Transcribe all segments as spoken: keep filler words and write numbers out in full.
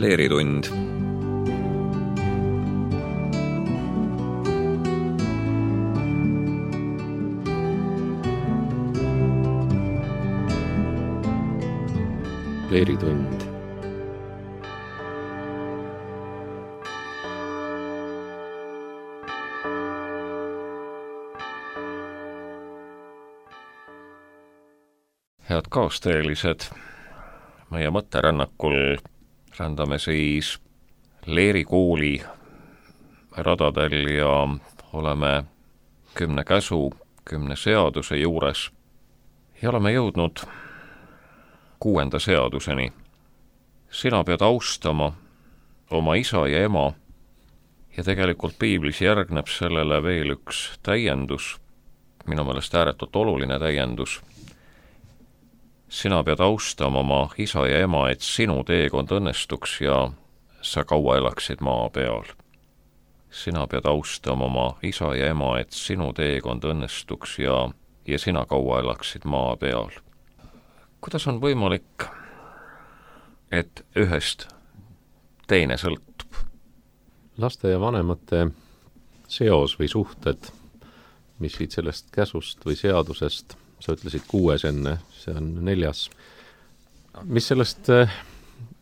Leeritund. Leeritund. Head kaasteelised, meie mõtterännakul rändame siis Leeri kooli radadel ja oleme kümne käsu, kümne seaduse juures ja oleme jõudnud kuuenda seaduseni. Sina pead austama oma isa ja ema ja tegelikult piiblis järgneb sellele veel üks täiendus, minu meelest ääretult oluline täiendus. Sina pead austama oma isa ja ema, et sinu teekond õnnestuks ja sa kaua elaksid maa peal. Sina pead austama oma isa ja ema, et sinu teekond õnnestuks ja, ja sina kaua elaksid maa peal. Kuidas on võimalik, et ühest teine sõltub? Laste ja vanemate seos või suhted, mis siit sellest käsust või seadusest, sa ütlesid kuues enne, see on neljas. Mis sellest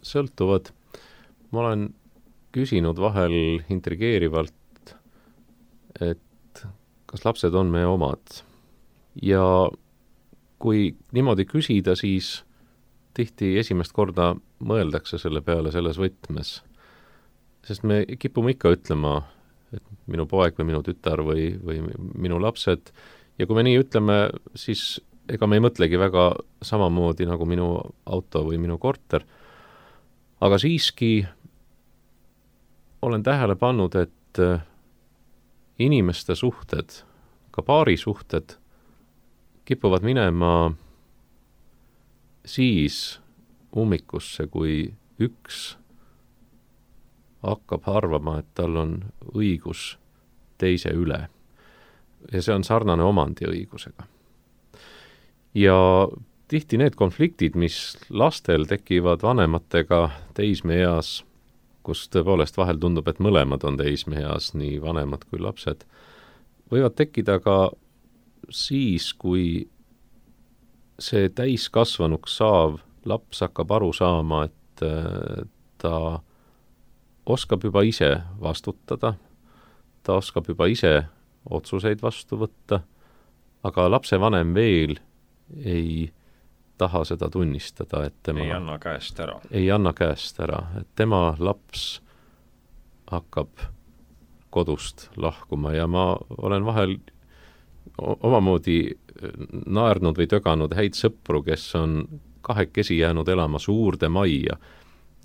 sõltuvad? Ma olen küsinud vahel intrigeerivalt, et kas lapsed on meie omad. Ja kui niimoodi küsida, siis tihti esimest korda mõeldakse selle peale selles võtmes. Sest me kipume ikka ütlema, et minu poeg või minu tütar või, või minu lapsed. Ja kui me nii ütleme, siis ega me ei mõtlegi väga samamoodi nagu minu auto või minu korter. Aga siiski olen tähele pannud, et inimeste suhted, ka paari suhted, kipuvad minema siis ummikusse, kui üks hakkab arvama, et tal on õigus teise üle. Ja see on sarnane omandiõigusega. Ja tihti need konfliktid, mis lastel tekivad vanematega teismeeas, kus tõepoolest vahel tundub, et mõlemad on teismeeas, nii vanemad kui lapsed, võivad tekkida ka siis, kui see täiskasvanuks saav laps hakkab aru saama, et ta oskab juba ise vastutada, ta oskab juba ise otsuseid vastu võtta, aga lapsevanem veel ei taha seda tunnistada, et tema ei anna käest ära. Ei anna käest ära, et tema laps hakkab kodust lahkuma ja ma olen vahel omamoodi naernud või töganud häid sõpru, kes on kahekesi jäänud elama suurde majja.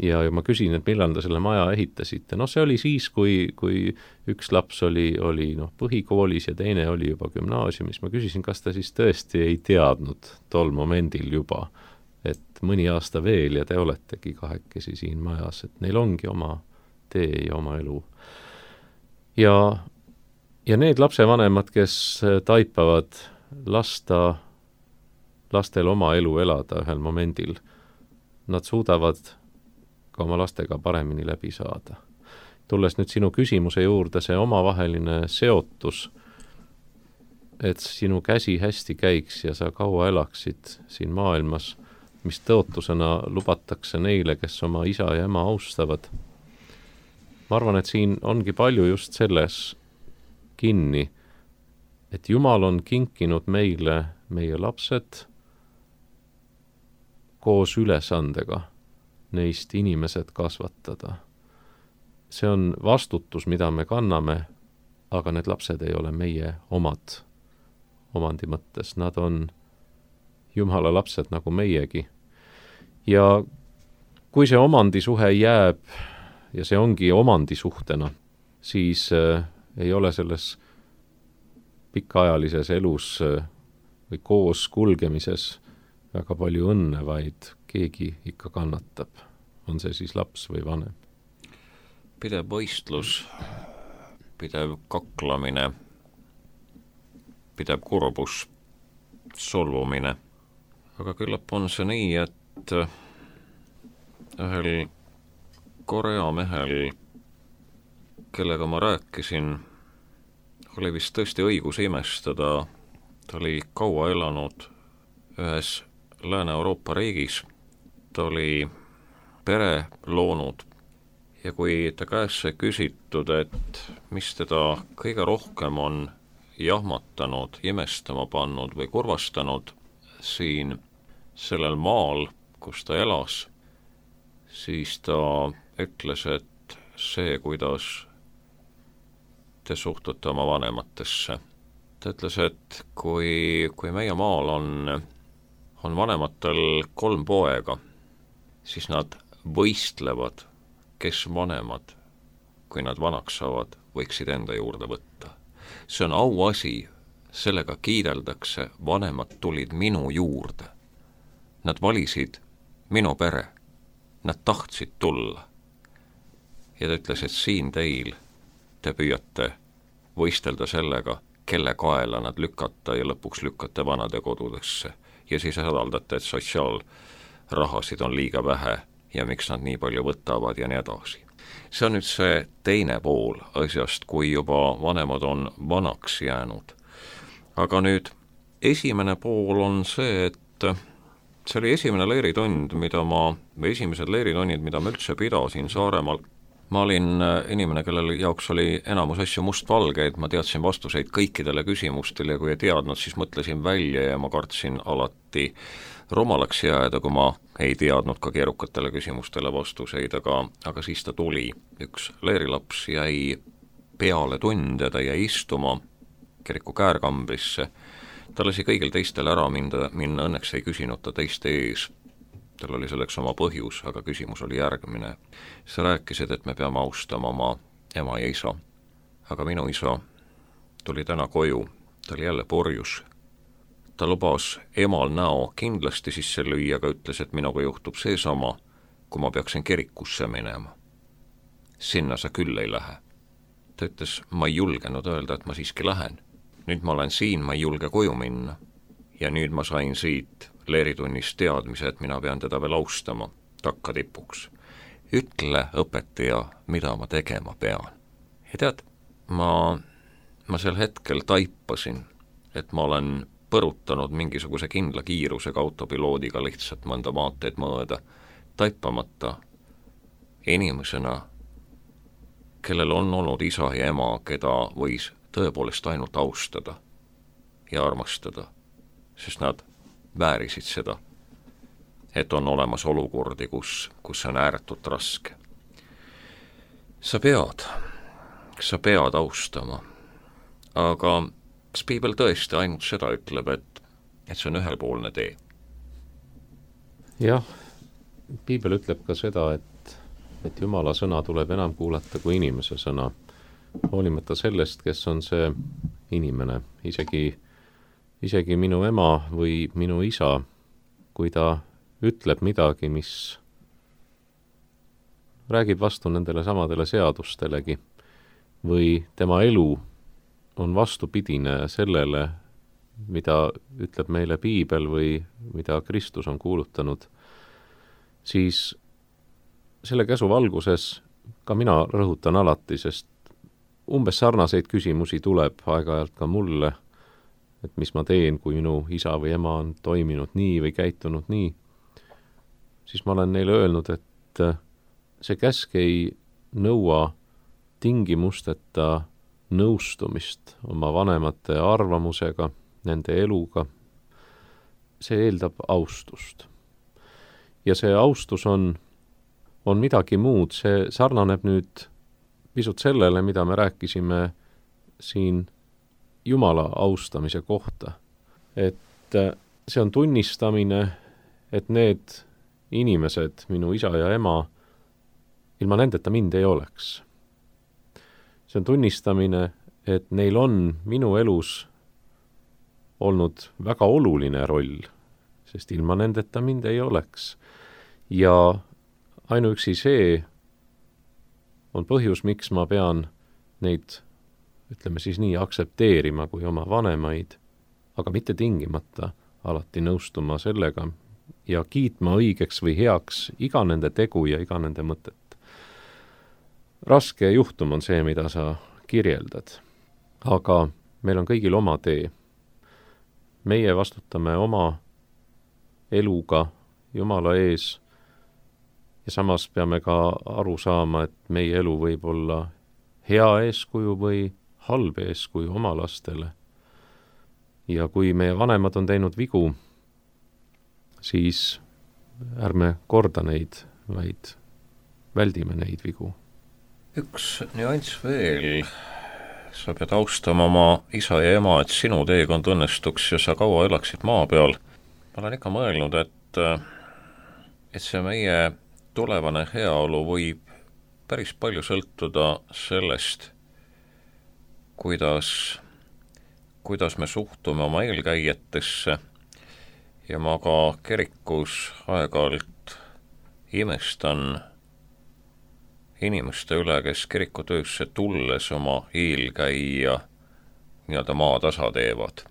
Ja, ja ma küsin, et millal te selle maja ehitasite. No see oli siis, kui, kui üks laps oli, oli noh, põhikoolis ja teine oli juba gümnaasiumis. Ma küsisin, kas ta siis tõesti ei teadnud tol momendil juba, et mõni aasta veel ja te oletegi kahekesi siin majas, et neil ongi oma tee ja oma elu. Ja, ja need lapsevanemad, kes taipavad lasta, lastel oma elu elada ühel momendil, nad suudavad ka oma lastega paremini läbi saada. Tulles nüüd sinu küsimuse juurde, see omavaheline seotus, et sinu käsi hästi käiks ja sa kaua elaksid siin maailmas, mis tõotusena lubatakse neile, kes oma isa ja ema austavad. Ma arvan, et siin ongi palju just selles kinni, et Jumal on kinkinud meile meie lapsed koos ülesandega neist inimesed kasvatada. See on vastutus, mida me kanname, aga need lapsed ei ole meie omad omandi mõttes. Nad on Jumala lapsed nagu meiegi. Ja kui see omandisuhe jääb, ja see ongi omandisuhtena, siis äh, ei ole selles pikaajalises elus äh, või koos kulgemises väga palju õnne, vaid keegi ikka kannatab. On see siis laps või vanem? Pidev võistlus, pidev kaklamine, pidev kurbus, solvumine. Aga küllap on see nii, et ühel Korea mehel, kellega ma rääkisin, oli vist tõesti õigus imestada. Ta oli kaua elanud ühes Lääne-Euroopa riigis, ta oli pere loonud ja kui ta käest sai küsitud, et mis teda kõige rohkem on jahmatanud, imestama pannud või kurvastanud siin sellel maal, kus ta elas, siis ta ütles, et see, kuidas te suhtute oma vanematesse. Ta ütles, et kui, kui meie maal on, on vanematel kolm poega, siis nad võistlevad, kes vanemad, kui nad vanaks saavad, võiksid enda juurde võtta. See on auasi, sellega kiideldakse, vanemad tulid minu juurde. Nad valisid minu pere, nad tahtsid tulla. Ja ta ütles, et siin teil te püüate võistelda sellega, kelle kaela nad lükata ja lõpuks lükkate vanade kodudesse. Ja siis hädaldate, et sotsiaalrahasid on liiga vähe ja miks nad nii palju võtavad ja nii edasi. See on nüüd see teine pool asjast, kui juba vanemad on vanaks jäänud. Aga nüüd esimene pool on see, et see oli esimene leeritund, mida ma, või esimesed leeritonnid, mida ma üldse pidasin Saaremaal. Ma olin inimene, kellel jaoks oli enamus asju mustvalgeid, ma teadsin vastuseid kõikidele küsimustele ja kui ei teadnud, siis mõtlesin välja ja ma kartsin alati rumalaks jääda, kui ma ei teadnud ka keerukatele küsimustele vastuseid, aga, aga siis ta tuli. Üks leerilaps jäi peale tunde, ta jäi istuma kiriku käärkambrisse. Ta lasi kõigil teistel ära minna, minna, õnneks ei küsinud ta teiste ees. Tal oli selleks oma põhjus, aga küsimus oli järgmine. Sa rääkisid, et me peame austama oma ema ja isa. Aga minu isa tuli täna koju, ta oli jälle porjus. Ta lubas emal näo kindlasti sisse lüüa, aga ütles, et minuga juhtub seesama, kui ma peaksin kirikusse minema. Sinna sa küll ei lähe. Ta ütles, ma ei julgenud öelda, et ma siiski lähen. Nüüd ma olen siin, ma ei julge koju minna. Ja nüüd ma sain siit leeritunnis teadmise, et mina pean teda veel austama takka tipuks. Ütle, õpetaja, mida ma tegema pean. Ja tead, ma, ma sel hetkel taipasin, et ma olen põrutanud mingisuguse kindla kiirusega autopiloodiga lihtsalt mõnda maanteed mööda, taipamata inimesena, kellel on olnud isa ja ema, keda võis tõepoolest ainult austada ja armastada, sest nad väärisid seda, et on olemas olukordi, kus, kus on ääretult raske. Sa pead, sa pead austama, aga kas piibel tõesti ainult seda ütleb, et, et see on ühelpoolne tee? Jah, piibel ütleb ka seda, et, et Jumala sõna tuleb enam kuulata kui inimese sõna, hoolimata sellest, kes on see inimene, isegi Isegi minu ema või minu isa, kui ta ütleb midagi, mis räägib vastu nendele samadele seadustelegi, või tema elu on vastupidine sellele, mida ütleb meile piibel või mida Kristus on kuulutanud, siis selle käsu valguses ka mina rõhutan alati, sest umbes sarnaseid küsimusi tuleb aeg-ajalt ka mulle, et mis ma teen, kui minu isa või ema on toiminud nii või käitunud nii, siis ma olen neile öelnud, et see käsk ei nõua tingimusteta nõustumist oma vanemate arvamusega, nende eluga. See eeldab austust. Ja see austus on, on midagi muud, see sarnaneb nüüd pisut sellele, mida me rääkisime siin Jumala austamise kohta. Et see on tunnistamine, et need inimesed, minu isa ja ema, ilma nendeta mind ei oleks. See on tunnistamine, et neil on minu elus olnud väga oluline roll, sest ilma nendeta mind ei oleks. Ja ainuüksi see on põhjus, miks ma pean neid ütleme siis nii, aksepteerima kui oma vanemaid, aga mitte tingimata alati nõustuma sellega ja kiitma õigeks või heaks iga nende tegu ja iga nende mõtet. raske juhtum on see, mida sa kirjeldad. Aga meil on kõigil oma tee. Meie vastutame oma eluga Jumala ees ja samas peame ka aru saama, et meie elu võib olla hea eeskuju või halb eeskuju oma lastele. Ja kui meie vanemad on teinud vigu, siis ärme korda neid, vaid väldime neid vigu. Üks nüanss veel. Sa pead austama oma isa ja ema, et sinu teekond õnnestuks ja sa kaua elaksid maa peal. Ma olen ikka mõelnud, et, et see meie tulevane heaolu võib päris palju sõltuda sellest, kuidas, kuidas me suhtume oma eelkäijatesse ja ma ka kirikus aeg-ajalt imestan inimeste üle, kes kirikutöösse tulles oma eelkäija nii-öelda maatasa teevad.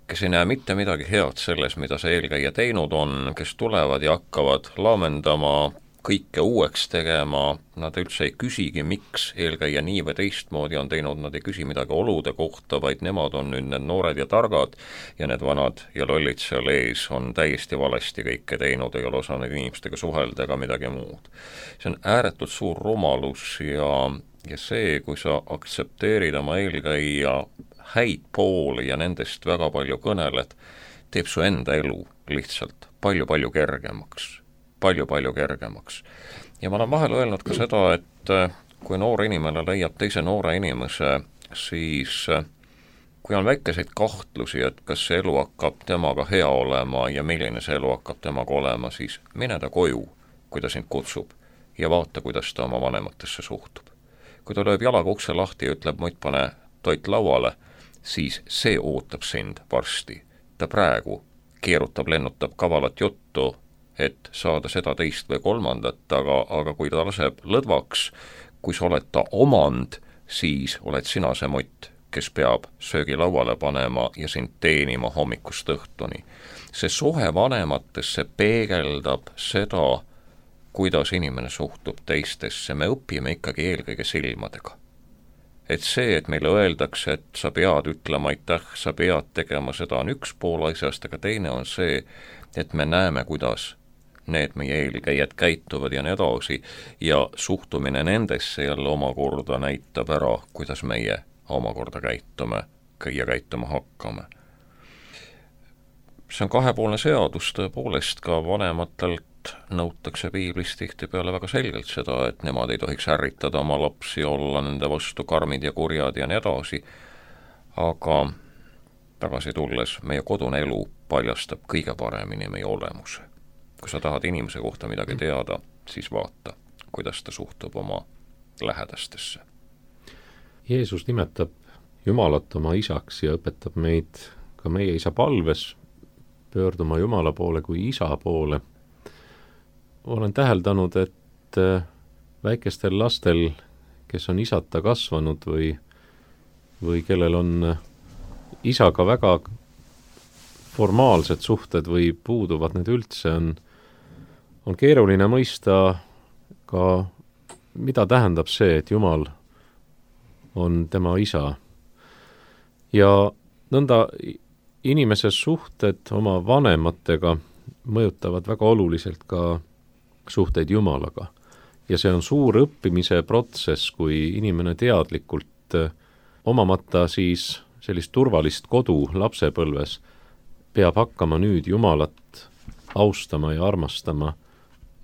Kes ei näe mitte midagi head selles, mida see eelkäija teinud on, kes tulevad ja hakkavad laamendama, kõike uueks tegema, nad üldse ei küsigi, miks eelkäija nii või teistmoodi on teinud, nad ei küsi midagi olude kohta, vaid nemad on nüüd need noored ja targad ja need vanad ja lollid seal ees on täiesti valesti kõike teinud, ei ole osanud inimestega suhelda ega midagi muud. See on ääretult suur rumalus ja, ja see, kui sa aktsepteerid oma eelkäija häid pooli ja nendest väga palju kõneled, teeb su enda elu lihtsalt palju-palju kergemaks. palju-palju kergemaks. Ja ma olen vahel öelnud ka seda, et kui noor inimene leiab teise noore inimese, siis kui on väikeseid kahtlusi, et kas see elu hakkab temaga hea olema ja milline see elu hakkab temaga olema, siis mine ta koju, kui ta sind kutsub ja vaata, kuidas ta oma vanematesse suhtub. Kui ta lööb jalaga ukse lahti ja ütleb, muid pane toit lauale, siis see ootab sind varsti. Ta praegu keerutab, lennutab kavalat juttu, et saada seda teist või kolmandat, aga, aga kui ta laseb lõdvaks, kui sa oled ta omand, siis oled sina see mutt, kes peab söögi lauale panema ja sind teenima hommikust õhtuni. See suhe vanematesse peegeldab seda, kuidas inimene suhtub teistesse. Me õpime ikkagi eelkõige silmadega. Et see, et meile öeldakse, et sa pead ütlema aitäh, sa pead tegema seda, on üks pool asjast, aga teine on see, et me näeme, kuidas need meie eelkäijad käituvad ja nii edasi ja suhtumine nendesse jälle omakorda näitab ära, kuidas meie omakorda käitume ja käituma hakkame. See on kahepoolne seadus, tõepoolest ka vanematelt nõutakse piiblis tihtipeale väga selgelt seda, et nemad ei tohiks ärritada oma lapsi, olla nende vastu karmid ja kurjad ja nii edasi, aga tagasi tulles meie kodune elu paljastab kõige paremini meie olemuse. Kui sa tahad inimese kohta midagi teada, siis vaata, kuidas ta suhtub oma lähedastesse. Jeesus nimetab Jumalat oma isaks ja õpetab meid ka meie isa palves pöörduma Jumala poole kui isa poole. Olen täheldanud, et väikestel lastel, kes on isata kasvanud või, või kellel on isaga väga formaalsed suhted või puuduvad need üldse, on on keeruline mõista ka, mida tähendab see, et Jumal on tema isa. Ja nõnda inimese suhted oma vanematega mõjutavad väga oluliselt ka suhteid Jumalaga. Ja see on suur õppimise protsess, kui inimene teadlikult omamata siis sellist turvalist kodu lapsepõlves peab hakkama nüüd Jumalat austama ja armastama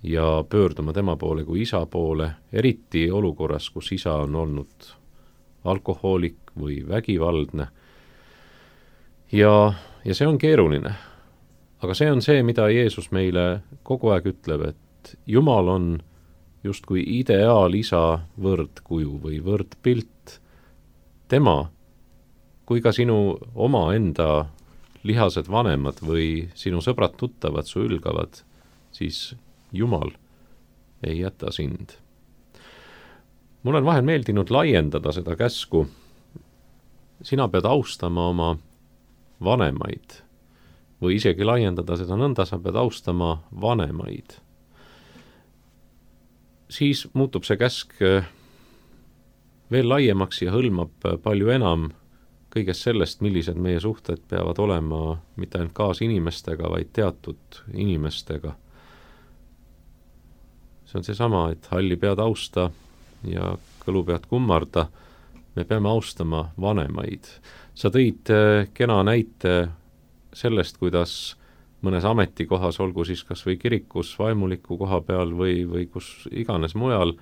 ja pöörduma tema poole kui isa poole, eriti olukorras, kus isa on olnud alkohoolik või vägivaldne. Ja, ja see on keeruline. Aga see on see, mida Jeesus meile kogu aeg ütleb, et Jumal on justkui ideaalisa võrdkuju või võrdpilt. Tema, kui ka sinu oma enda lihased vanemad või sinu sõbrad tuttavad su ülgavad, siis Jumal ei jäta sind. Mul on vahel meeldinud laiendada seda käsku. Sina pead austama oma vanemaid või isegi laiendada seda nõnda, sa pead austama vanemaid. siis muutub see käsk veel laiemaks ja hõlmab palju enam kõigest sellest, millised meie suhted peavad olema mitte ainult kaasinimestega, vaid teatud inimestega. See on seesama, et halli pead austa ja kõlu pead kummarda. Me peame austama vanemaid. Sa tõid kena näite sellest, kuidas mõnes ametikohas, olgu siis kas või kirikus, vaimuliku koha peal või, või kus iganes mujal,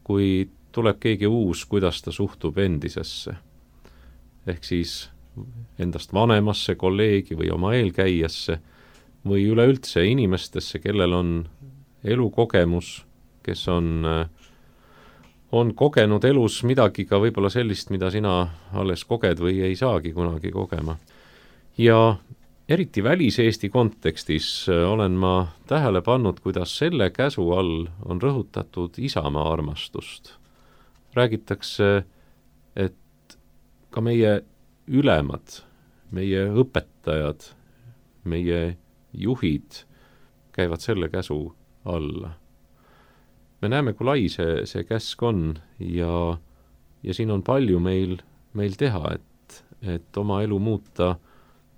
kui tuleb keegi uus, kuidas ta suhtub endisesse. Ehk siis endast vanemasse kolleegi või oma eelkäijasse või üleüldse inimestesse, kellel on elukogemus, kes on, on kogenud elus midagi ka võib-olla sellist, mida sina alles koged või ei saagi kunagi kogema. Ja eriti välis-Eesti kontekstis olen ma tähele pannud, kuidas selle käsu all on rõhutatud isamaa armastust. Räägitakse, et ka meie ülemad, meie õpetajad, meie juhid käivad selle käsu alla. Me näeme, kui lai see, see käsk on ja, ja siin on palju meil, meil teha, et, et oma elu muuta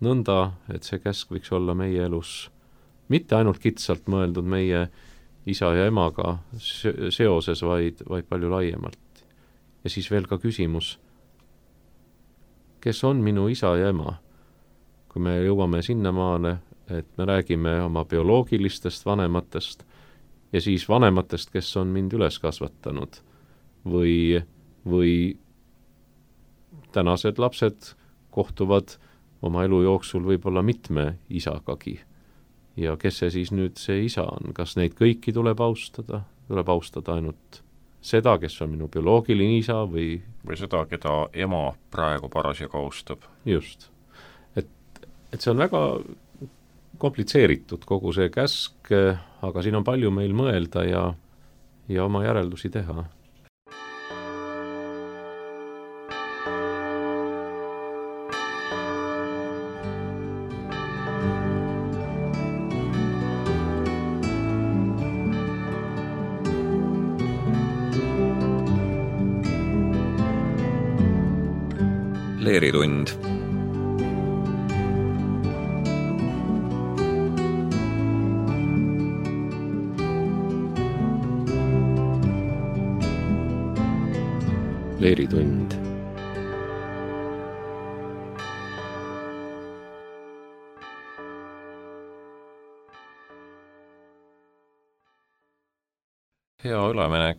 nõnda, et see käsk võiks olla meie elus mitte ainult kitsalt mõeldud meie isa ja emaga seoses, vaid, vaid palju laiemalt. Ja siis veel ka küsimus, kes on minu isa ja ema? Kui me jõuame sinnamaale, et me räägime oma bioloogilistest vanematest ja siis vanematest, kes on mind üles kasvatanud või, või tänased lapsed kohtuvad oma elu jooksul võib-olla mitme isagagi. Ja kes see siis nüüd see isa on? Kas neid kõiki tuleb austada? Tuleb austada ainult seda, kes on minu bioloogiline isa või... Või seda, keda ema praegu parasjagu austab. Just. Et, et see on väga komplitseeritud kogu see käsk, aga siin on palju meil mõelda ja, ja oma järeldusi teha. Leeritund. Leeritund. Hea üleminek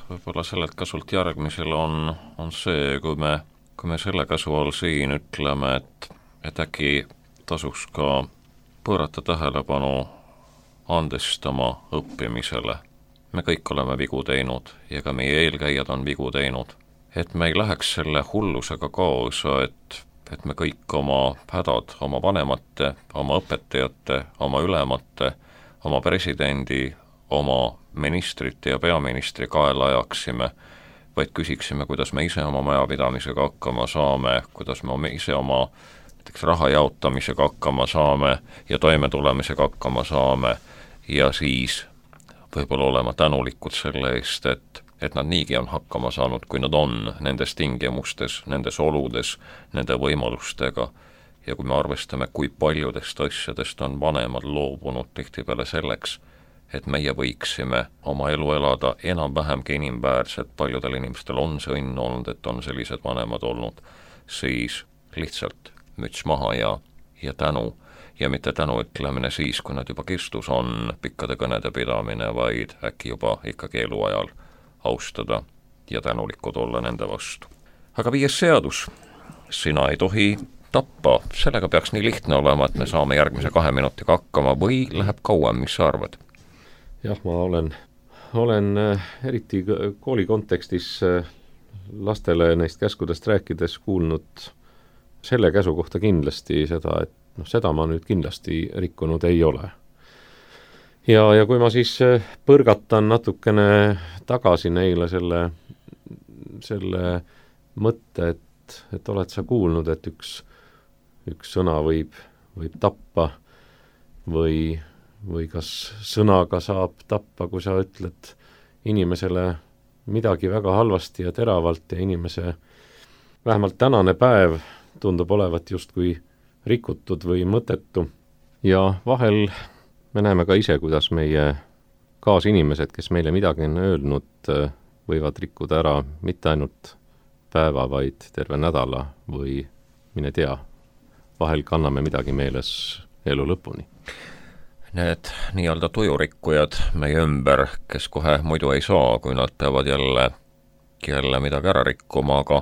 võib-olla sellelt kasult järgmisel on, on see, kui me kui me selle käsu all siin ütleme, et, et äkki tasuks ka pöörata tähelepanu andestama õppimisele. Me kõik oleme vigu teinud ja ka meie eelkäijad on vigu teinud. Et me ei läheks selle hullusega kaasa, et, et me kõik oma hädad, oma vanemate, oma õpetajate, oma ülemate, oma presidendi, oma ministrite ja peaministri kaela ajaksime, vaid küsiksime, kuidas me ise oma majapidamisega hakkama saame, kuidas me ise oma näiteks raha jaotamisega hakkama saame ja toimetulemisega hakkama saame ja siis võib-olla olema tänulikud selle eest, et, et nad niigi on hakkama saanud, kui nad on nendes tingimustes, nendes oludes, nende võimalustega ja kui me arvestame, kui paljudest asjadest on vanemad loobunud tihtipeale selleks, et meie võiksime oma elu elada enam-vähemgi inimväärselt, paljudel inimestel on see õnn olnud, et on sellised vanemad olnud, siis lihtsalt müts maha ja, ja tänu. Ja mitte tänu ütlemine siis, kui nad juba kestus on pikkade kõnede pidamine, vaid äkki juba ikkagi eluajal austada ja tänulikud olla nende vastu. Aga viies seadus, sina ei tohi tappa, sellega peaks nii lihtne olema, et me saame järgmise kahe minutiga hakkama või läheb kauem, mis sa arvad? Jah, ma olen, olen eriti kooli kontekstis lastele neist käskudest rääkides kuulnud selle käsu kohta kindlasti seda, et noh, seda ma nüüd kindlasti rikkunud ei ole. Ja, ja kui ma siis põrgatan natukene tagasi neile selle, selle mõtte, et, et oled sa kuulnud, et üks, üks sõna võib, võib tappa või või kas sõnaga saab tappa, kui sa ütled inimesele midagi väga halvasti ja teravalt ja inimese vähemalt tänane päev tundub olevat justkui rikutud või mõttetu. Ja vahel me näeme ka ise, kuidas meie kaasinimesed, kes meile midagi on öelnud, võivad rikkuda ära mitte ainult päeva, vaid terve nädala või mine tea, vahel kanname midagi meeles elu lõpuni. Need nii-öelda tujurikkujad meie ümber, kes kohe muidu ei saa, kui nad peavad jälle, jälle midagi ära rikkuma, aga,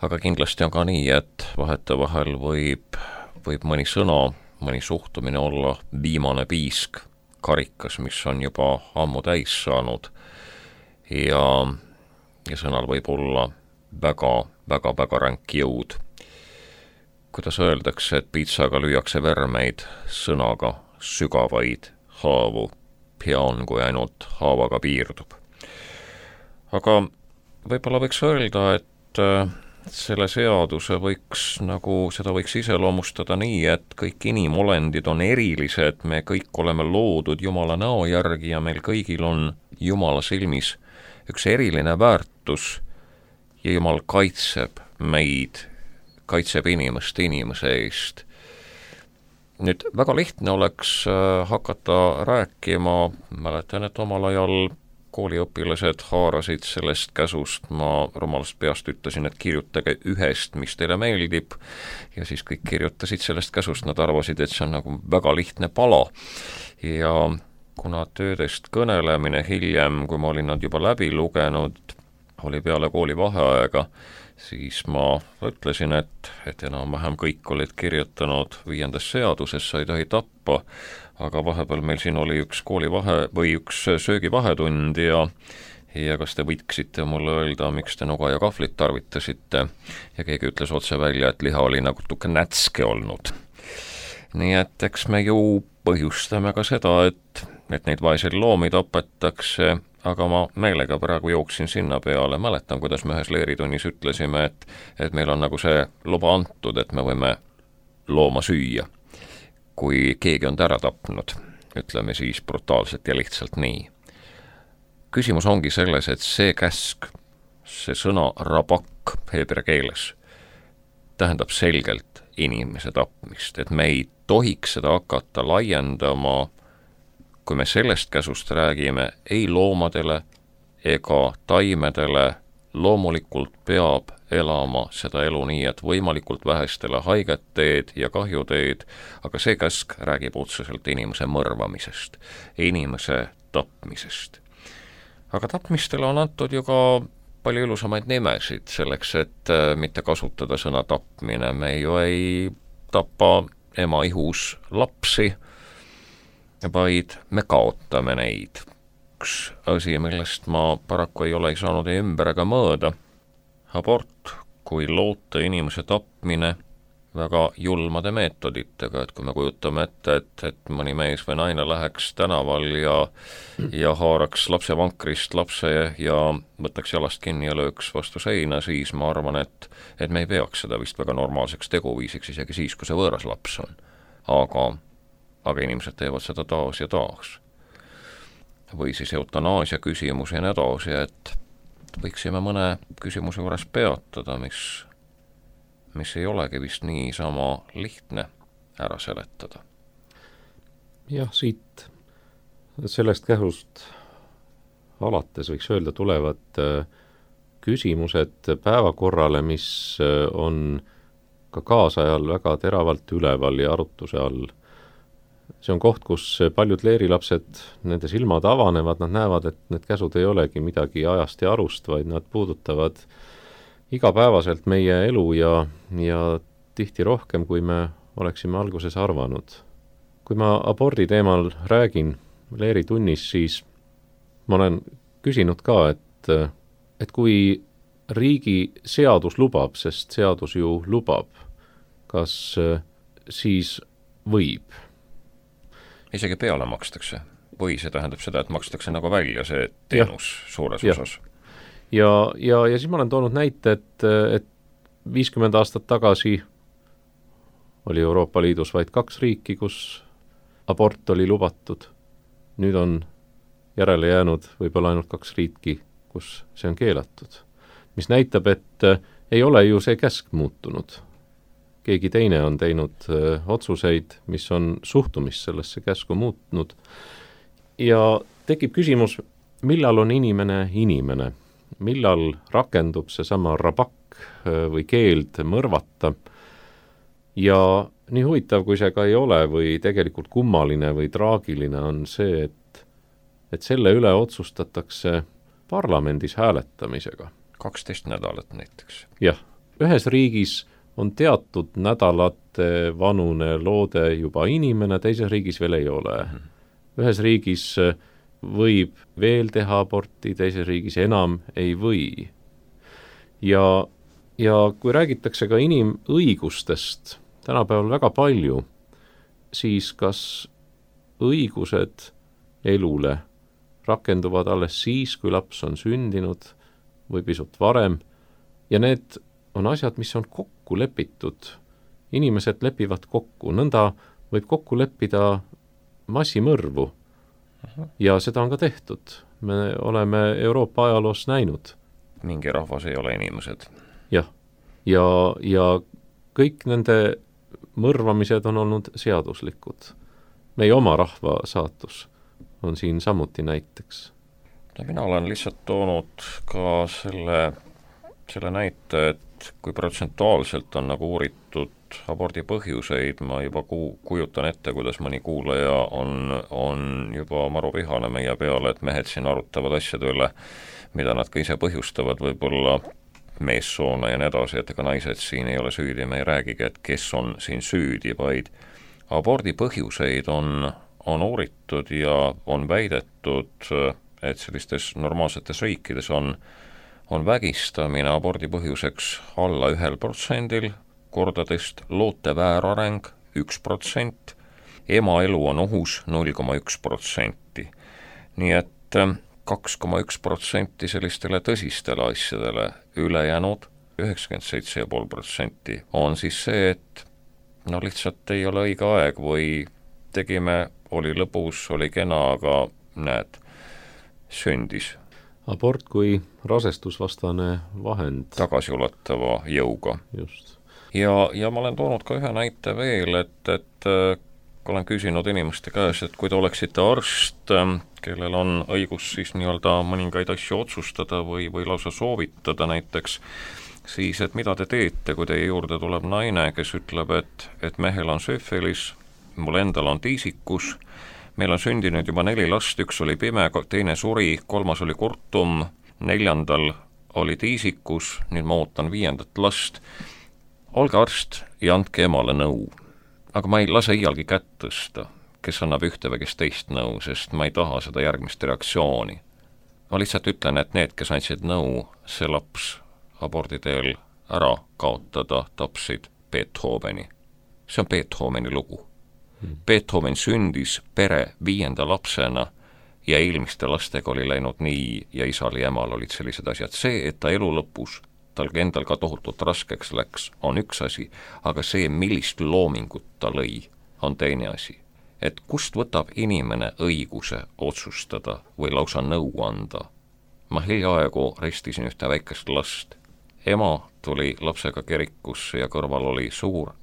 aga kindlasti on ka nii, et vahetevahel võib, võib mõni sõna, mõni suhtumine olla viimane piisk karikas, mis on juba ammu täis saanud ja, ja sõnal võib olla väga, väga, väga ränk jõud. Kuidas öeldakse, et piitsaga lüüakse vermeid, sõnaga sügavaid haavu, hea on, kui ainult haavaga piirdub. Aga võib-olla võiks öelda, et selle seaduse võiks, nagu seda võiks iseloomustada nii, et kõik inimolendid on erilised, me kõik oleme loodud Jumala näo järgi ja meil kõigil on Jumala silmis üks eriline väärtus ja Jumal kaitseb meid, kaitseb inimest inimese eest. Nüüd väga lihtne oleks hakata rääkima, mäletan, et omal ajal kooliõpilased haarasid sellest käsust, ma rumalast peast ütlesin, et kirjutage ühest, mis teile meeldib, ja siis kõik kirjutasid sellest käsust, nad arvasid, et see on nagu väga lihtne pala. Ja kuna töödest kõnelemine hiljem, kui ma olin nad juba läbi lugenud, oli peale kooli vaheaega, siis ma ütlesin, et, et enam-vähem kõik olid kirjutanud viiendas seaduses, sa ei tohi tappa, aga vahepeal meil siin oli üks koolivahe või üks söögivahetund ja, ja kas te võiksite mulle öelda, miks te nuga ja kahvlit tarvitasite, ja keegi ütles otse välja, et liha oli nagu tuke nätske olnud. Nii et eks me ju põhjustame ka seda, et, et neid vaeseid loomi tapetakse, aga ma meelega praegu jooksin sinna peale, mäletan, kuidas me ühes leeritunnis ütlesime, et, et meil on nagu see luba antud, et me võime looma süüa, kui keegi on ära tapnud, ütleme siis brutaalselt ja lihtsalt nii. Küsimus ongi selles, et see käsk, see sõna rabak heebrea keeles, tähendab selgelt inimese tapmist, et me ei tohiks seda hakata laiendama, kui me sellest käsust räägime, ei loomadele ega taimedele, loomulikult peab elama seda elu nii, et võimalikult vähestele haiget teed ja kahju teed, aga see käsk räägib otseselt inimese mõrvamisest, inimese tapmisest. Aga tapmistele on antud ju ka palju ilusamaid nimesid selleks, et mitte kasutada sõna tapmine. Me ju ei tapa ema ihus lapsi, vaid me kaotame neid. Üks asi, millest ma paraku ei ole ei saanud ei ümber ega mõõda. Abort kui loota inimese tapmine väga julmade meetoditega, et kui me kujutame ette, et, et mõni mees või naine läheks tänaval ja, ja haaraks lapse vankrist lapse ja võtaks jalast kinni ja lööks vastu seina, siis ma arvan, et, et me ei peaks seda vist väga normaalseks teguviisiks, isegi siis, kui see võõras laps on. Aga aga inimesed teevad seda taas ja taas. Või siis eutanaasia küsimus ja nii edasi, et võiksime mõne küsimuse juures peatada, mis, mis ei olegi vist nii sama lihtne ära seletada. Jah, siit sellest kähust alates võiks öelda tulevad küsimused päevakorrale, mis on ka kaasajal väga teravalt üleval ja arutuse all. See on koht, kus paljud leerilapsed, nende silmad avanevad, nad näevad, et need käsud ei olegi midagi ajast ja arust, vaid nad puudutavad igapäevaselt meie elu ja, ja tihti rohkem, kui me oleksime alguses arvanud. Kui ma abordi teemal räägin leeritunnis, siis ma olen küsinud ka, et, et kui riigi seadus lubab, sest seadus ju lubab, kas siis võib? Isegi peale makstakse. Või see tähendab seda, et makstakse nagu välja see teenus ja. Suures ja. Osas. Ja, ja, ja siis ma olen toonud näite, et, et viiskümmend aastat tagasi oli Euroopa Liidus vaid kaks riiki, kus abort oli lubatud. Nüüd on järele jäänud võib-olla ainult kaks riiki, kus see on keelatud. Mis näitab, et ei ole ju see käsk muutunud. Keegi teine on teinud öö, otsuseid, mis on suhtumist sellesse käsku muutnud. Ja tekib küsimus, millal on inimene inimene? Millal rakendub see sama rabak või keeld mõrvata? Ja nii huvitav, kui see ka ei ole või tegelikult kummaline või traagiline on see, et, et selle üle otsustatakse parlamendis hääletamisega. kaksteist nädalat näiteks. Jah, ühes riigis on teatud nädalate vanune loode juba inimene, teises riigis veel ei ole. Mm-hmm. Ühes riigis võib veel teha aborti, teises riigis enam ei või. Ja, ja kui räägitakse ka inimõigustest tänapäeval väga palju, siis kas õigused elule rakenduvad alles siis, kui laps on sündinud või pisut varem, ja need on asjad, mis on kokku lepitud. Inimesed lepivad kokku, nõnda võib kokku leppida massimõrvu. Ja seda on ka tehtud. Me oleme Euroopa ajaloos näinud. Mingi rahvas ei ole inimesed. Jah, ja, ja kõik nende mõrvamised on olnud seaduslikud. Meie oma rahva saatus on siin samuti näiteks. No, mina olen lihtsalt toonud ka selle, selle näite, et kui protsentuaalselt on nagu uuritud abordi põhjuseid, ma juba ku, kujutan ette, kuidas mõni kuulaja on, on juba maru vihane meie peale, et mehed siin arutavad asjade üle, mida nad ka ise põhjustavad, võib-olla meessoona ja nii edasi, et ega naised siin ei ole süüdi, me ei räägigi, et kes on siin süüdi, vaid abordi põhjuseid on, on uuritud ja on väidetud, et sellistes normaalsetes riikides on, on vägistamine abordi põhjuseks alla ühel protsendil, kordadest loote väärareng üks protsent, ema elu on ohus null koma üks protsenti. Nii et kaks koma üks protsenti sellistele tõsistele asjadele, ülejäänud üheksakümmend seitse koma viis protsenti on siis see, et no lihtsalt ei ole õige aeg või tegime, oli lõbus, oli kena, aga näed, sündis. Abort kui rasestusvastane vahend. Tagasiulatava jõuga. Just. Ja, ja ma olen toonud ka ühe näite veel, et, et kui olen küsinud inimeste käes, et kui te oleksite arst, kellel on õigus siis nii-öelda mõningaid asju otsustada või, või lausa soovitada näiteks, siis et mida te teete, kui teie juurde tuleb naine, kes ütleb, et, et mehel on süfilis, mul endal on tiisikus, meil on sündinud juba neli last, üks oli pime, teine suri, kolmas oli kurtum, neljandal oli tiisikus, nüüd ma ootan viiendat last. Olge arst ja andke emale nõu. Aga ma ei lase iialgi kätt tõsta, kes annab ühte või kes teist nõu, sest ma ei taha seda järgmist reaktsiooni. Ma lihtsalt ütlen, et need, kes andsid nõu, see laps abordi teel ära kaotada, tapsid Beethoveni. See on Beethoveni lugu. Hmm. Beethoven sündis pere viienda lapsena ja eelmiste lastega oli läinud nii ja isal ja emal olid sellised asjad. See, et ta elu lõpus tal endal ka tohutult raskeks läks, on üks asi, aga see, millist loomingut ta lõi, on teine asi. Et kust võtab inimene õiguse otsustada või lausa nõu anda? Ma hiljaaegu ristisin ühte väikest last. Ema tuli lapsega kirikusse ja kõrval oli suur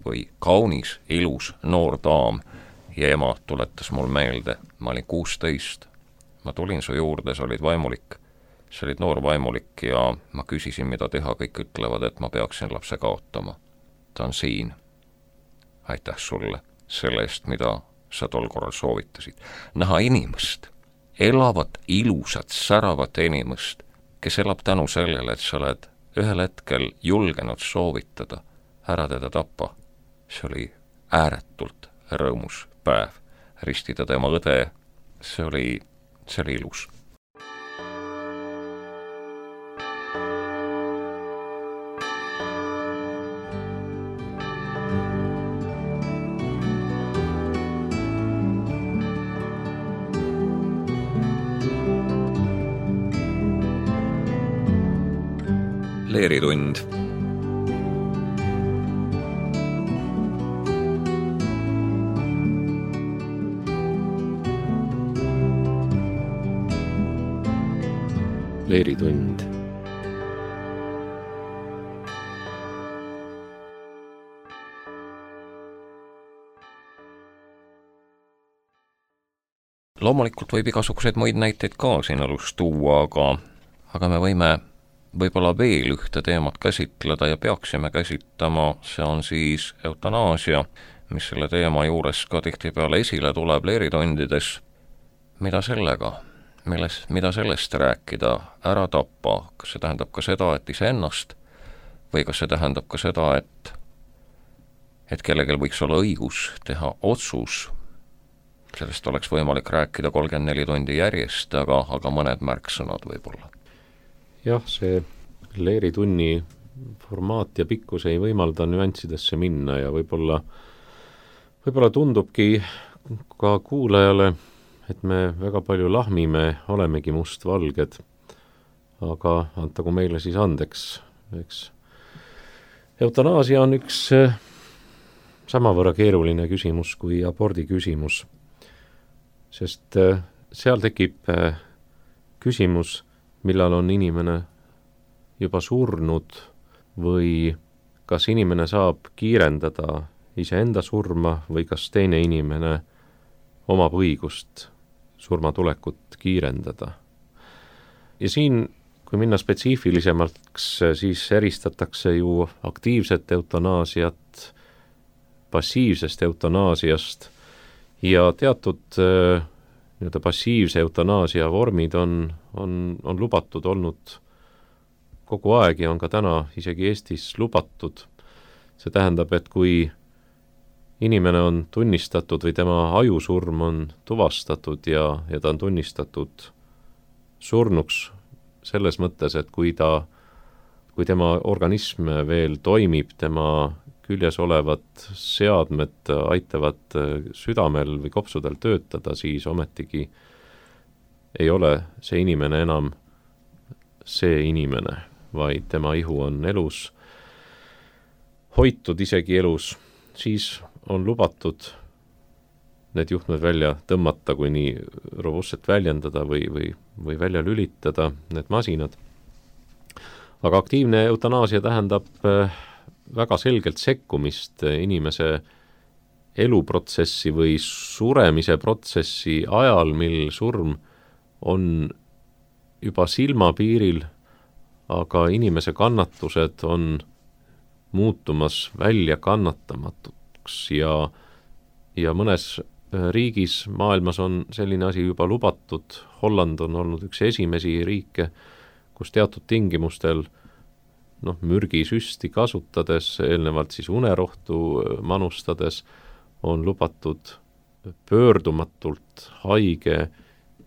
või kaunis, ilus noor daam ja ema tuletas mul meelde, ma olin kuusteist. Ma tulin su juurde, sa olid vaimulik. See olid noor vaimulik ja ma küsisin, mida teha, kõik ütlevad, et ma peaksin lapse kaotama. Ta on siin. Aitäh sulle selle eest, mida sa tol korral soovitasid. Näha inimest, elavat, ilusat, säravat inimest, kes elab tänu sellele, et sa oled ühel hetkel julgenud soovitada, ära teda tappa. See oli ääretult rõõmus päev. Ristida tema õde, see oli, see oli ilus. Leeritund. Leeritund. Loomulikult võib igasuguseid muid näiteid ka siin elus tuua, aga, aga me võime võib-olla veel ühte teemat käsitleda ja peaksime käsitlema, see on siis eutanaasia, mis selle teema juures ka tihtipeale esile tuleb leeritundides. Mida sellega, milles, mida sellest rääkida, ära tappa, kas see tähendab ka seda, et iseennast, või kas see tähendab ka seda, et, et kellelgi võiks olla õigus teha otsus. Sellest oleks võimalik rääkida kolmkümmend neli tundi järjest, aga, aga mõned märksõnad võib-olla. Jah, see leeritunni formaat ja pikkus ei võimalda nüanssidesse minna ja võib-olla, võib-olla tundubki ka kuulajale, et me väga palju lahmime, olemegi mustvalged, aga antagu meile siis andeks, eks. Eutanaasia on üks samavõrra keeruline küsimus kui abordi küsimus, sest seal tekib küsimus, millal on inimene juba surnud või kas inimene saab kiirendada iseenda surma või kas teine inimene omab õigust surma tulekut kiirendada. Ja siin, kui minna spetsiifilisemaks, siis eristatakse ju aktiivset eutanaasiat passiivsest eutanaasiast ja teatud nii-öelda passiivse eutanaasia vormid on, on, on lubatud olnud kogu aeg ja on ka täna isegi Eestis lubatud. See tähendab, et kui inimene on tunnistatud või tema ajusurm on tuvastatud ja, ja ta on tunnistatud surnuks selles mõttes, et kui ta, kui tema organism veel toimib, tema küljes olevad seadmed aitavad südamel või kopsudel töötada, siis ometigi ei ole see inimene enam see inimene, vaid tema ihu on elus, hoitud isegi elus, siis on lubatud need juhtmed välja tõmmata, kui nii robustselt väljendada või, või, või välja lülitada need masinad. Aga aktiivne eutanaasia tähendab väga selgelt sekkumist inimese eluprotsessi või suremise protsessi ajal, mil surm on juba silmapiiril, aga inimese kannatused on muutumas välja kannatamatuks ja, ja mõnes riigis maailmas on selline asi juba lubatud. Holland on olnud üks esimesi riike, kus teatud tingimustel noh, mürgisüsti kasutades, eelnevalt siis unerohtu manustades, on lubatud pöördumatult haige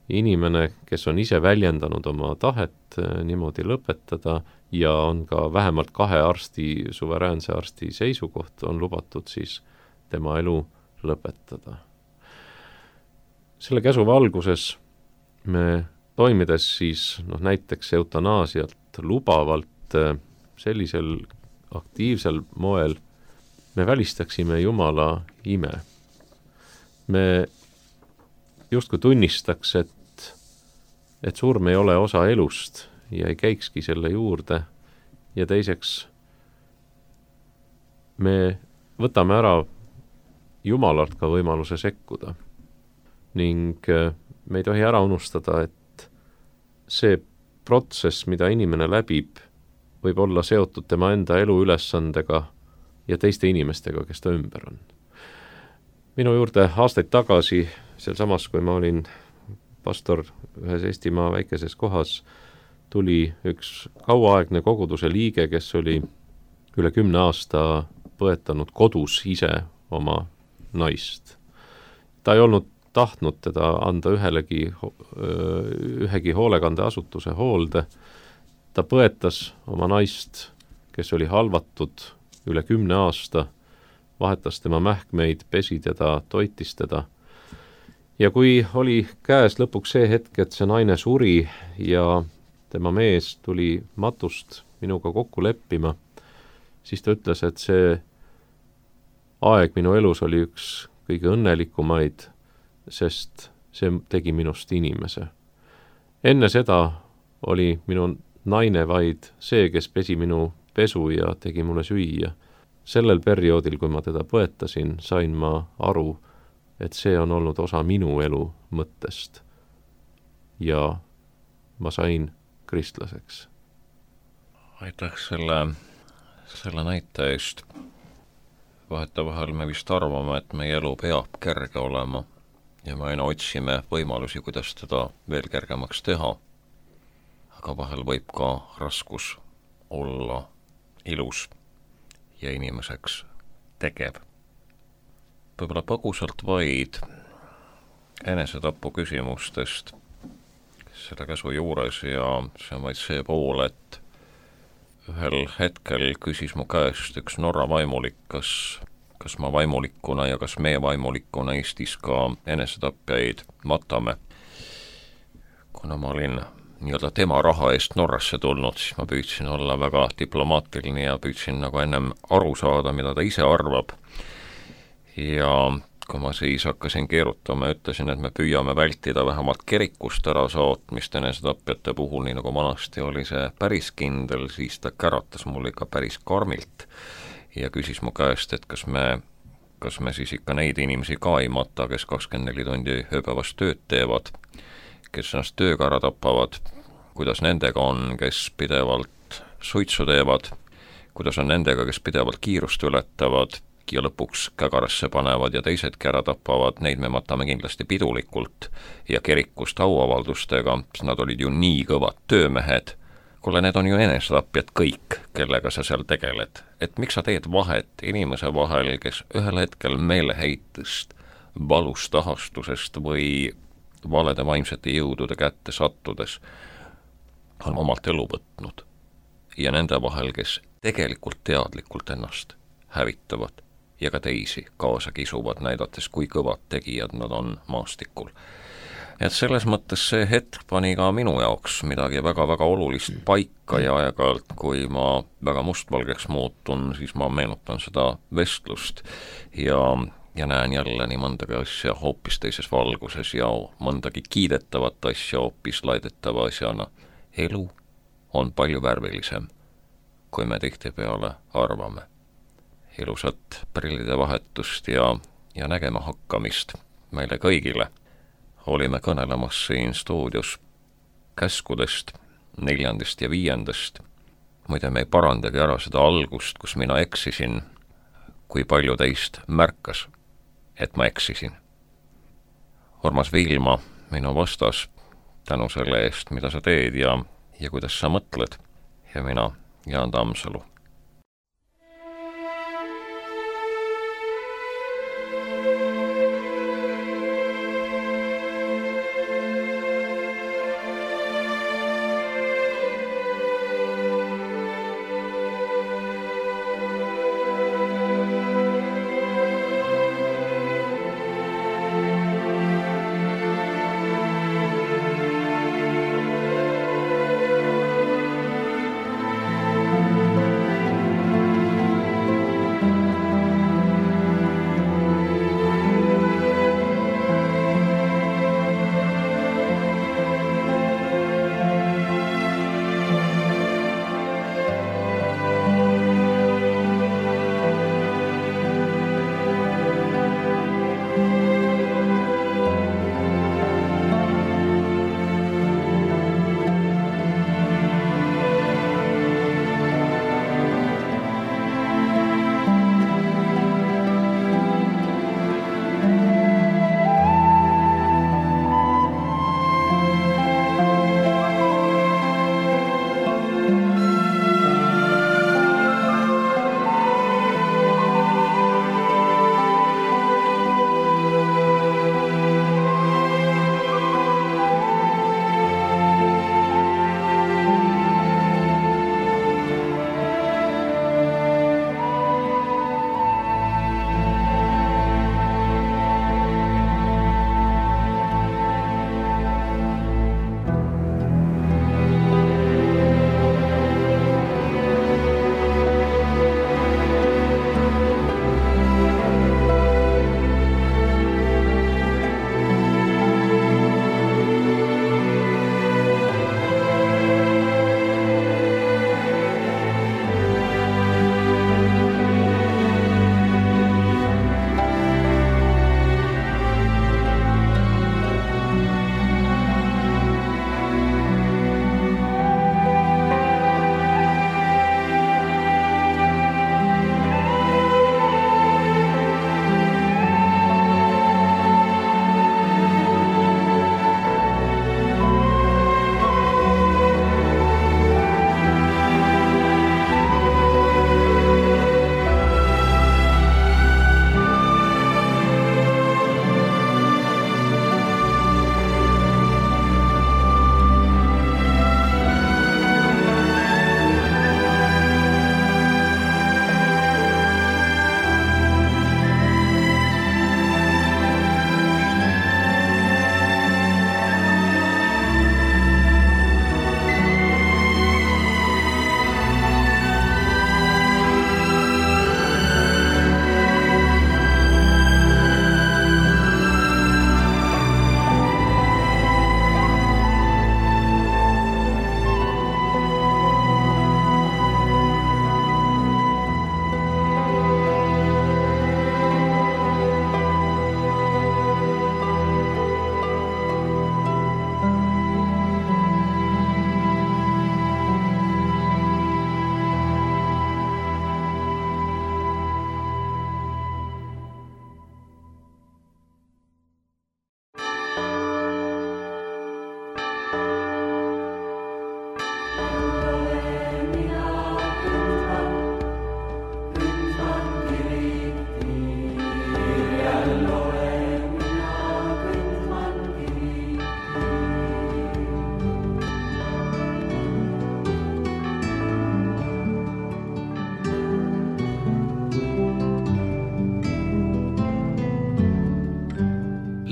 inimene, kes on ise väljendanud oma tahet niimoodi lõpetada ja on ka vähemalt kahe arsti, suveräänse arsti seisukoht, on lubatud siis tema elu lõpetada. Selle käsu valguses me toimides siis noh, näiteks eutanaasialt lubavalt sellisel aktiivsel moel me välistaksime Jumala ime. Me justkui tunnistaks, et, et surm ei ole osa elust ja ei käikski selle juurde. Ja teiseks, me võtame ära Jumalalt ka võimaluse sekkuda. Ning me ei tohi ära unustada, et see protsess, mida inimene läbib, võib olla seotud tema enda elu ülesandega ja teiste inimestega, kes ta ümber on. Minu juurde aastaid tagasi, sel samas, kui ma olin pastor ühes Eestimaa väikeses kohas, tuli üks kauaaegne koguduse liige, kes oli üle kümne aasta põetanud kodus ise oma naist. Ta ei olnud tahtnud teda anda ühelegi, ühegi hoolekandeasutuse hoolde. Ta põetas oma naist, kes oli halvatud üle kümne aasta, vahetas tema mähkmeid, pesi teda, toitis teda. Ja kui oli käes lõpuks see hetk, et see naine suri ja tema mees tuli matust minuga kokku leppima, siis ta ütles, et see aeg minu elus oli üks kõige õnnelikumaid, sest see tegi minust inimese. Enne seda oli minu naine vaid see, kes pesi minu pesu ja tegi mulle süüa. Sellel perioodil, kui ma teda põetasin, sain ma aru, et see on olnud osa minu elu mõttest. Ja ma sain kristlaseks. Aitäh selle, selle näite eest. Vahetevahel me vist arvame, et meie elu peab kerge olema ja me aina otsime võimalusi, kuidas teda veel kergemaks teha. Aga vahel võib ka raskus olla ilus ja inimeseks tegev. Võib-olla põgusalt vaid enesetapu küsimustest selle käsu juures ja see on vaid see pool, et ühel hetkel küsis mu käest üks Norra vaimulik, kas, kas ma vaimulikuna ja kas meie vaimulikuna Eestis ka enesetapjaid matame. Kuna ma olin nii-öelda tema raha eest Norrasse tulnud, siis ma püüdsin olla väga diplomaatiline ja püüdsin nagu ennem aru saada, mida ta ise arvab. Ja kui ma siis hakkasin keerutama ja ütlesin, et me püüame vältida vähemalt kirikust ära saatmist enesetapjate puhul, nii nagu vanasti oli see päris kindel, siis ta käratas mulle ikka päris karmilt ja küsis mu käest, et kas me, kas me siis ikka neid inimesi ka ei mata, kes kakskümmend neli tundi ööpäevas tööd teevad, kes ennast tööga ära tapavad, kuidas nendega on, kes pidevalt suitsu teevad, kuidas on nendega, kes pidevalt kiirust ületavad ja lõpuks kägarasse panevad ja teisedki ära tapavad, neid me matame kindlasti pidulikult ja kirikust auavaldustega, sest nad olid ju nii kõvad töömehed. Kuule, need on ju enesetapjad kõik, kellega sa seal tegeled. Et miks sa teed vahet inimese vahel, kes ühel hetkel meeleheitest, valust ahastusest või valede vaimsete jõudude kätte sattudes on omalt elu võtnud ja nende vahel, kes tegelikult teadlikult ennast hävitavad ja ka teisi kaasa kisuvad, näidates, kui kõvad tegijad nad on maastikul. Et selles mõttes see hetk pani ka minu jaoks midagi väga-väga olulist paika ja aeg-ajalt, kui ma väga mustvalgeks muutun, siis ma meenutan seda vestlust ja ja näen jälle nii mõndagi asja hoopis teises valguses ja mõndagi kiidetavat asja hoopis laidetava asjana. Elu on palju värvilisem, kui me tihtipeale arvame. Ilusat prillide vahetust ja, ja nägema hakkamist meile kõigile. Olime kõnelemas siin stuudios käskudest, neljandast ja viiendast. Muide, me ei parandagi ära seda algust, kus mina eksisin, kui palju teist märkas, et ma eksisin. Urmas Viilma, minu vastas, tänu selle eest, mida sa teed ja, ja kuidas sa mõtled, ja mina, Jaan Tammsalu.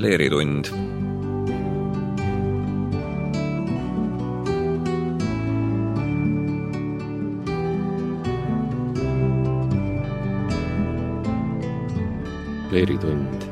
Leeritund. Leeritund.